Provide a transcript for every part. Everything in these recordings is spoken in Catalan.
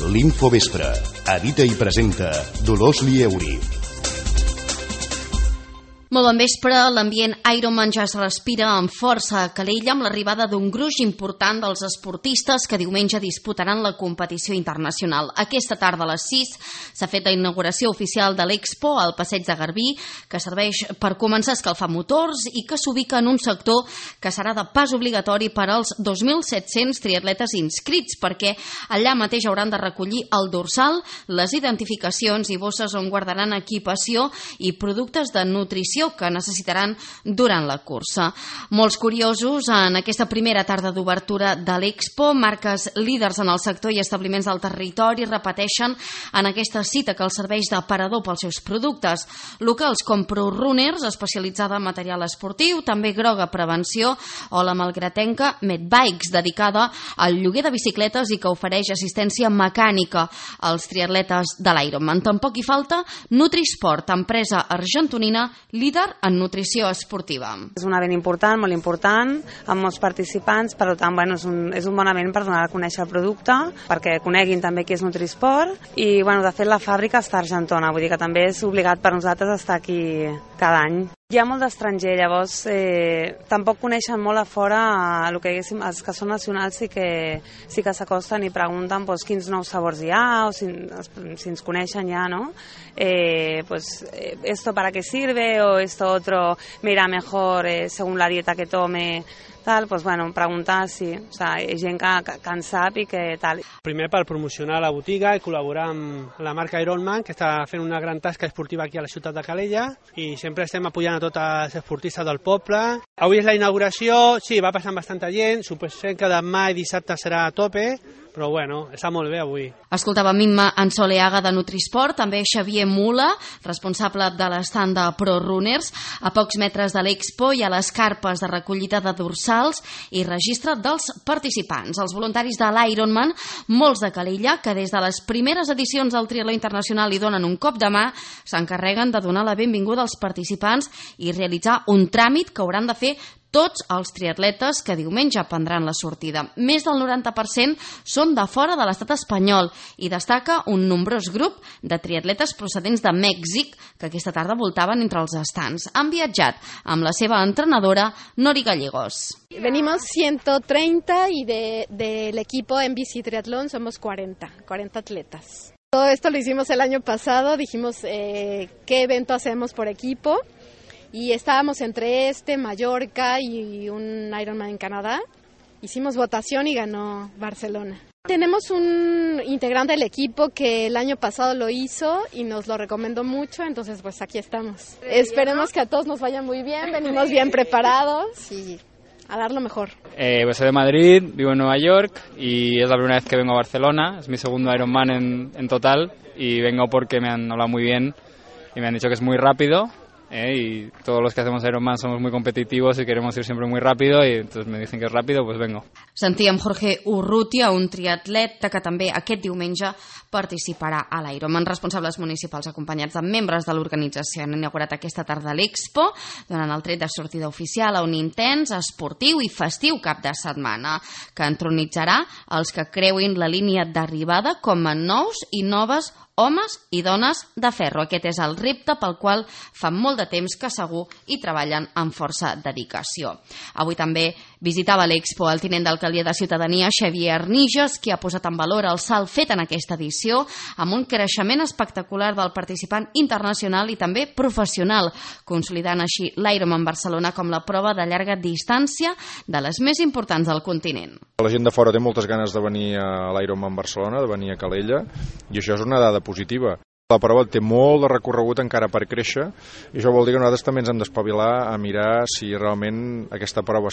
L'Infovespre. Edita i presenta Dolors Lieuri. Molt bon vespre, l'ambient Ironman ja es respira amb força a Calella amb l'arribada d'un gruix important dels esportistes que diumenge disputaran la competició internacional. Aquesta tarda a les 6 s'ha fet la inauguració oficial de l'Expo al Passeig de Garbí, que serveix per començar a escalfar motors i que s'ubica en un sector que serà de pas obligatori per als 2.700 triatletes inscrits, perquè allà mateix hauran de recollir el dorsal, les identificacions i bosses on guardaran equipació i productes de nutrició que necessitaran durant la cursa. Molts curiosos en aquesta primera tarda d'obertura de l'Expo, marques líders en el sector i establiments del territori repeteixen en aquesta cita que els serveix d'aparador pels seus productes. Locals com ProRunners, especialitzada en material esportiu, també Groga Prevenció, o la malgratenca Medbikes, dedicada al lloguer de bicicletes i que ofereix assistència mecànica als triatletes de l'Ironman. Tampoc hi falta Nutrisport, empresa argentonina líder en nutrició esportiva. És un event important, molt important, amb molts participants, per tant, és un bon event per donar a conèixer el producte, perquè coneguin també què és Nutrisport, i de fet la fàbrica està a Argentona, vull dir que també és obligat per nosaltres estar aquí cada any. Hi ha molt d'estranger, llavors tampoc coneixen molt a fora el que els que són nacionals sí que s'acosten i pregunten quins nous sabors hi ha o si ens coneixen ja, ¿no? Esto para qué sirve o esto otro me irá mejor según la dieta que tome, tal, preguntar sí, o sigui, gent que en sap i que tal. Primer per promocionar la botiga i col·laborar amb la marca Ironman, que està fent una gran tasca esportiva aquí a la ciutat de Calella, i sempre estem apoyant a tots els esportistes del poble. Avui és la inauguració, sí, va passant bastanta gent, suposem que demà i dissabte serà a tope, però està molt bé avui. Escoltava Mimma Ansoleaga de Nutrisport, també Xavier Mula, responsable de l'estand de ProRunners. A pocs metres de l'Expo hi ha les carpes de recollida de dorsals i registre dels participants. Els voluntaris de l'Ironman, molts de Calella, que des de les primeres edicions del triatló internacional hi donen un cop de mà, s'encarreguen de donar la benvinguda als participants i realitzar un tràmit que hauran de fer tots els triatletes que diumenge prendran la sortida. Més del 90% són de fora de l'estat espanyol i destaca un nombrós grup de triatletes procedents de Mèxic que aquesta tarda voltaven entre els estands. Han viatjat amb la seva entrenadora Nori Gallegos. Venimos 130 y del equipo en bici triatlón somos 40 atletas. Todo esto lo hicimos el año pasado, dijimos qué evento hacemos por equipo. Y estábamos entre Mallorca y un Ironman en Canadá. Hicimos votación y ganó Barcelona. Tenemos un integrante del equipo que el año pasado lo hizo y nos lo recomendó mucho, entonces aquí estamos. Esperemos que a todos nos vaya muy bien, venimos bien preparados y a dar lo mejor. Soy de Madrid, vivo en Nueva York y es la primera vez que vengo a Barcelona. Es mi segundo Ironman en total y vengo porque me han hablado muy bien y me han dicho que es muy rápido. Y todos los que hacemos Ironman somos muy competitivos y queremos ir siempre muy rápido y entonces me dicen que es rápido, pues vengo. Sentíem Jorge Urrutia, un triatleta que també aquest diumenge participarà a l'Ironman. Responsables municipals acompanyats de membres de l'organització han inaugurat aquesta tarda l'Expo, donant el tret de sortida oficial a un intens, esportiu i festiu cap de setmana que entronitzarà els que creuin la línia d'arribada com a nous i noves homes i dones de ferro. Aquest és el repte pel qual fa molt de temps que segur hi treballen amb força dedicació. Avui també visitava l'Expo el tinent d'alcaldia de Ciutadania, Xavier Arniges, qui ha posat en valor el salt fet en aquesta edició amb un creixement espectacular del participant internacional i també professional, consolidant així l'Ironman Barcelona com la prova de llarga distància de les més importants del continent. La gent de fora té moltes ganes de venir a l'Ironman Barcelona, de venir a Calella, i això és una dada positiva. La prova té molt de recorregut encara per créixer i això vol dir que nosaltres també ens hem d'espavilar a mirar si realment aquesta prova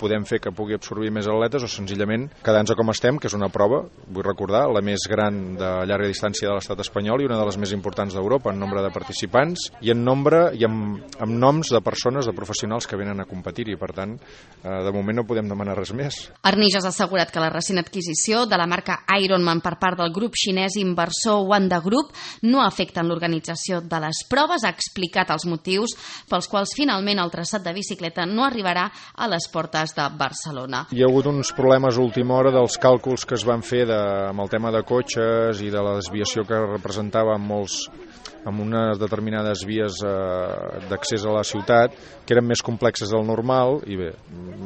podem fer que pugui absorbir més atletes o senzillament quedar-nos com estem, que és una prova, vull recordar, la més gran de llarga distància de l'estat espanyol i una de les més importants d'Europa en nombre de participants i en nombre i amb noms de persones, de professionals que venen a competir-hi. Per tant, de moment no podem demanar res més. Arniges ha assegurat que la recent adquisició de la marca Ironman per part del grup xinès inversor Wanda Group no afecten l'organització de les proves. Ha explicat els motius pels quals finalment el traçat de bicicleta no arribarà a les portes Fàbriques de Barcelona. Hi ha hagut uns problemes a última hora dels càlculs que es van fer amb el tema de cotxes i de la desviació que representava amb unes determinades vies d'accés a la ciutat que eren més complexes del normal i bé,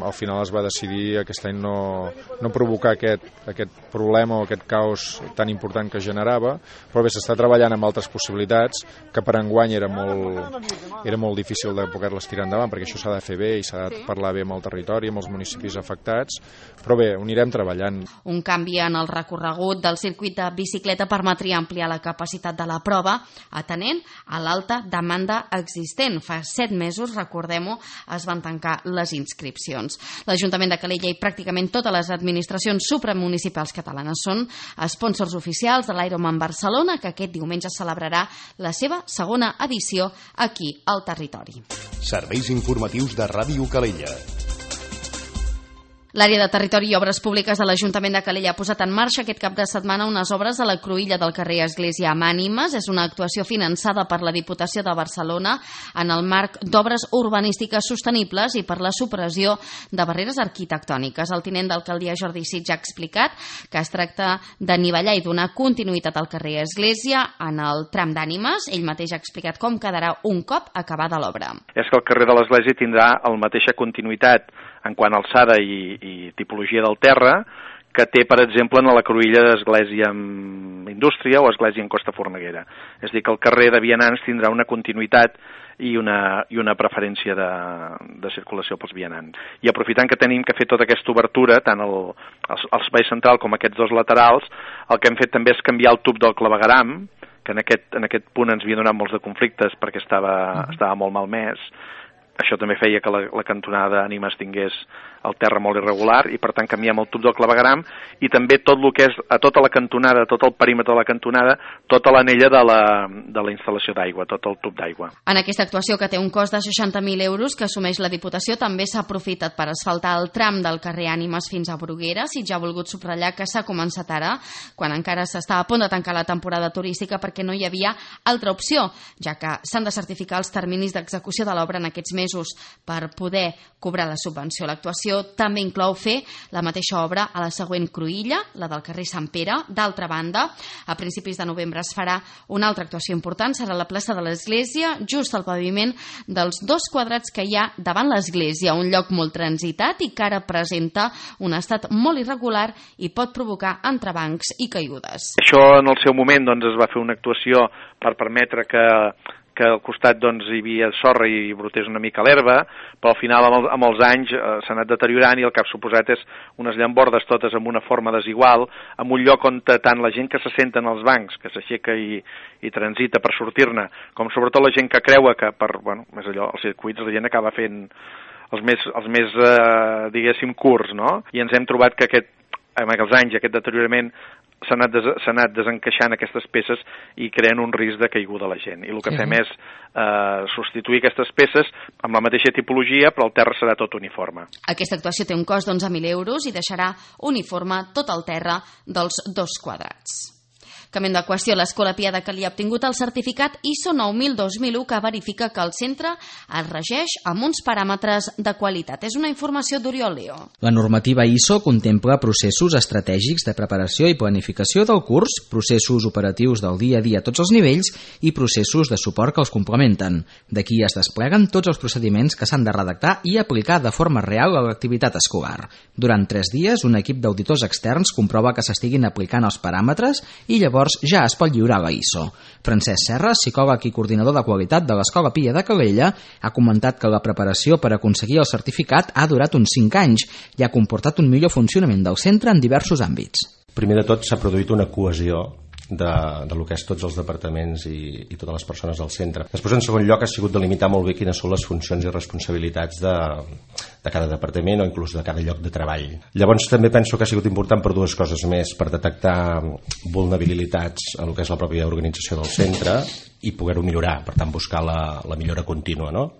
al final es va decidir aquest any no provocar aquest problema o aquest caos tan important que generava, però bé, s'està treballant amb altres possibilitats que per enguany era molt difícil de poder-les tirar endavant perquè això s'ha de fer bé i s'ha de parlar bé amb el territori, amb els municipis afectats, però bé, ho anirem treballant. Un canvi en el recorregut del circuit de bicicleta permetria ampliar la capacitat de la prova atenent a l'alta demanda existent. Fa 7 mesos, recordem-ho, es van tancar les inscripcions. L'Ajuntament de Calella i pràcticament totes les administracions supramunicipals catalanes són sponsors oficials de l'Ironman Barcelona, que aquest diumenge celebrarà la seva segona edició aquí al territori. Serveis informatius de Ràdio Calella. L'àrea de Territori i Obres Públiques de l'Ajuntament de Calella ha posat en marxa aquest cap de setmana unes obres a la cruïlla del carrer Església amb Ànimes. És una actuació finançada per la Diputació de Barcelona en el marc d'obres urbanístiques sostenibles i per la supressió de barreres arquitectòniques. El tinent d'alcaldia Jordi Sitja ha explicat que es tracta d'anivellar i donar continuïtat al carrer Església en el tram d'Ànimes. Ell mateix ha explicat com quedarà un cop acabada l'obra. És que el carrer de l'Església tindrà la mateixa continuïtat en quant a alçada i tipologia del terra que té, per exemple, en la cruïlla d'Església amb Indústria o Església en Costa Forneguera. És a dir, que el carrer de vianants tindrà una continuïtat i una preferència de circulació pels vianants. I aprofitant que tenim que fer tota aquesta obertura, tant al servei central com aquests dos laterals, el que hem fet també és canviar el tub del clavegueram, que en aquest punt ens havia donat molts de conflictes perquè estava molt malmès. Això també feia que la cantonada d'Ànimes tingués el terra molt irregular i per tant canviem el tub del clavegueram i també tot el que és a tota la cantonada, tot el perímetre de la cantonada, tota l'anella de la instal·lació d'aigua, tot el tub d'aigua. En aquesta actuació, que té un cost de 60.000 euros que assumeix la Diputació, també s'ha aprofitat per asfaltar el tram del carrer Ànimes fins a Brugueres. I ja ha volgut subratllar que s'ha començat ara, quan encara s'està a punt de tancar la temporada turística, perquè no hi havia altra opció, ja que s'han de certificar els terminis d'execució de l'obra en aquests mesos per poder cobrar la subvenció. L'actuació també inclou fer la mateixa obra a la següent cruïlla, la del carrer Sant Pere. D'altra banda, a principis de novembre es farà una altra actuació important, serà la plaça de l'Església, just al paviment dels 2 quadrats que hi ha davant l'Església, un lloc molt transitat i que ara presenta un estat molt irregular i pot provocar entrebancs i caigudes. Això en el seu moment es va fer una actuació per permetre que al costat hi havia sorra i brotés una mica l'herba, però al final amb els anys s'ha anat deteriorant i el que ha suposat és unes llambordes totes amb una forma desigual, en un lloc on tant la gent que s'assenta en els bancs, que s'aixeca i transita per sortir-ne, com sobretot la gent que creua que més allò, els circuits la gent acaba fent els més diguéssim, curts, no? I ens hem trobat que amb els anys aquest deteriorament s'ha anat desencaixant aquestes peces i creen un risc de caiguda a la gent. I el que fem és substituir aquestes peces amb la mateixa tipologia, però el terra serà tot uniforme. Aquesta actuació té un cost d'11.000 euros i deixarà uniforme tot el terra dels 2 quadrats. Canviant de qüestió, l'Escola Pia de Calella ha obtingut el certificat ISO 9000-2001 que verifica que el centre es regeix amb uns paràmetres de qualitat. És una informació d'Oriol Leo. La normativa ISO contempla processos estratègics de preparació i planificació del curs, processos operatius del dia a dia a tots els nivells i processos de suport que els complementen. D'aquí es despleguen tots els procediments que s'han de redactar i aplicar de forma real a l'activitat escolar. Durant 3 dies, un equip d'auditors externs comprova que s'estiguin aplicant els paràmetres i llavors ja es pot lliurar la ISO. Francesc Serra, psicòleg i coordinador de qualitat de l'Escola Pia de Calella, ha comentat que la preparació per aconseguir el certificat ha durat uns 5 anys i ha comportat un millor funcionament del centre en diversos àmbits. Primer de tot s'ha produït una cohesió de lo que és tots els departaments i totes les persones del centre. Després, en segon lloc, ha sigut delimitar molt bé quines són les funcions i responsabilitats de cada departament o inclús de cada lloc de treball. Llavors també penso que ha sigut important per 2 coses més, per detectar vulnerabilitats en el que és la pròpia organització del centre i poder-ho millorar, per tant buscar la millora contínua, no?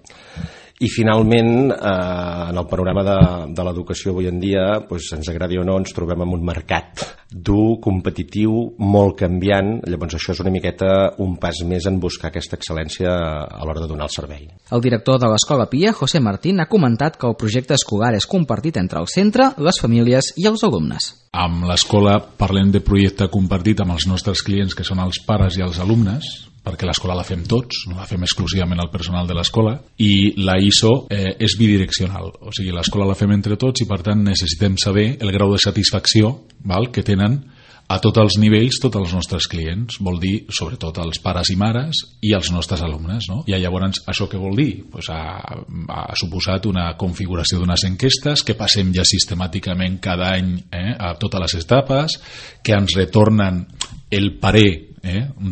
I finalment, en el panorama de l'educació avui en dia, doncs, ens agradi o no, ens trobem en un mercat dur, competitiu, molt canviant. Llavors això és una miqueta un pas més en buscar aquesta excel·lència a l'hora de donar el servei. El director de l'Escola Pia, José Martín, ha comentat que el projecte escolar és compartit entre el centre, les famílies i els alumnes. Amb l'escola parlem de projecte compartit amb els nostres clients, que són els pares i els alumnes, perquè l'escola la fem tots, no la fem exclusivament al personal de l'escola, i la ISO és bidireccional, o sigui, l'escola la fem entre tots i per tant necessitem saber el grau de satisfacció, val, que tenen a tots els nivells tots els nostres clients, vol dir sobretot els pares i mares i els nostres alumnes, no? I llavors això què vol dir? Pues ha suposat una configuració d'unes enquestes que passem ja sistemàticament cada any a totes les etapes, que ens retornen el parer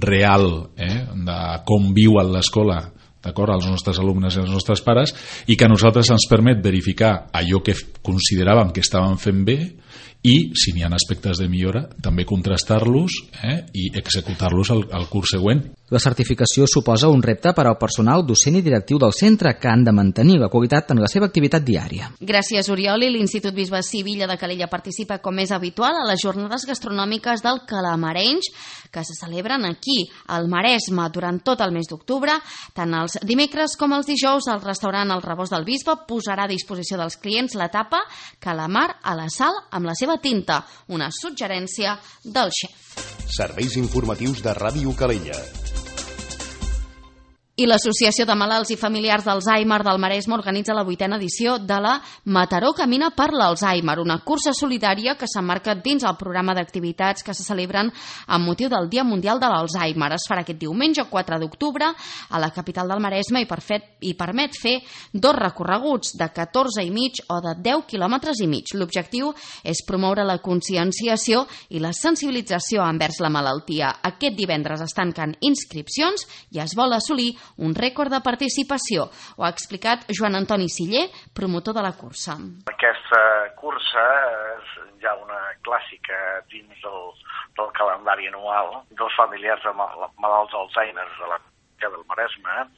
real de com viuen l'escola, d'acord, als nostres alumnes i als nostres pares, i que a nosaltres ens permet verificar allò que consideràvem que estàvem fent bé i, si n'hi ha aspectes de millora, també contrastar-los i executar-los al curs següent. La certificació suposa un repte per al personal docent i directiu del centre, que han de mantenir la qualitat en la seva activitat diària. Gràcies, Oriol. I l'Institut Bisbe Sivilla de Calella participa, com és habitual, a les jornades gastronòmiques del Calamarenys, que se celebren aquí, al Maresme, durant tot el mes d'octubre. Tant els dimecres com els dijous, el restaurant El Rebost del Bisbe posarà a disposició dels clients la tapa calamar a la sal amb la seva tinta, una suggerència del xef. Serveis informatius de Ràdio Calella. I l'Associació de Malalts i Familiars d'Alzheimer del Maresme organitza la 8a edició de la Mataró Camina per l'Alzheimer, una cursa solidària que s'emmarca dins el programa d'activitats que se celebren amb motiu del Dia Mundial de l'Alzheimer. Es farà aquest diumenge 4 d'octubre a la capital del Maresme i permet fer 2 recorreguts de 14,5 o de 10 quilòmetres i mig. L'objectiu és promoure la conscienciació i la sensibilització envers la malaltia. Aquest divendres es tanquen inscripcions i es vol assolir un rècord de participació. Ho ha explicat Joan Antoni Siller, promotor de la cursa. Aquesta cursa és ja una clàssica dins del calendari anual dels familiars de malalts d'Alzheimer del Maresme,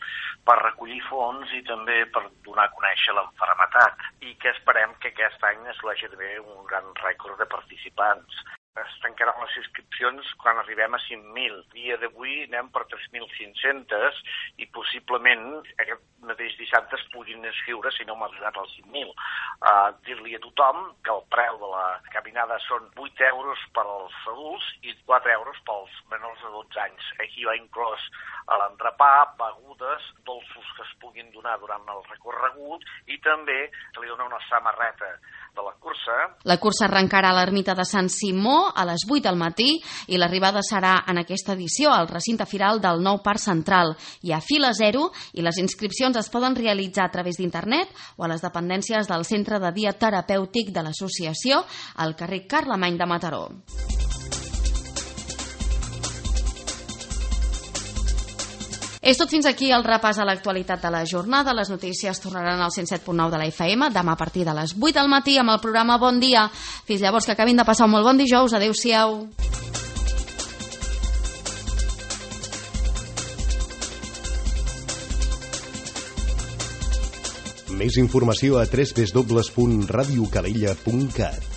per recollir fons i també per donar a conèixer l'enfermetat, i que esperem que aquest any es l'hagi de fer un gran rècord de participants. Es tancaran les inscripcions quan arribem a 5.000. Dia d'avui anem per 3.500 i possiblement aquest mateix dissabte es puguin inscriure si no hem arribat als 5.000. Dir-li a tothom que el preu de la caminada són 8 euros per als adults i 4 euros pels menors de 12 anys. Aquí va inclòs l'entrepà, begudes, dolços que es puguin donar durant el recorregut i també se li dona una samarreta de la cursa. La cursa arrencarà a l'ermita de Sant Simó a les 8 del matí i l'arribada serà en aquesta edició al recinte firal del Nou Parc Central. Hi ha fila zero i les inscripcions es poden realitzar a través d'internet o a les dependències del Centre de Dia Terapèutic de l'Associació al carrer Carlemany de Mataró. És tot fins aquí el repàs a l'actualitat de la jornada. Les notícies tornaran al 107.9 de la FM demà a partir de les 8 del matí amb el programa Bon Dia. Fins llavors, que acabin de passar un molt bon dijous. Adéu-siau. Més informació a www.radiocalella.cat.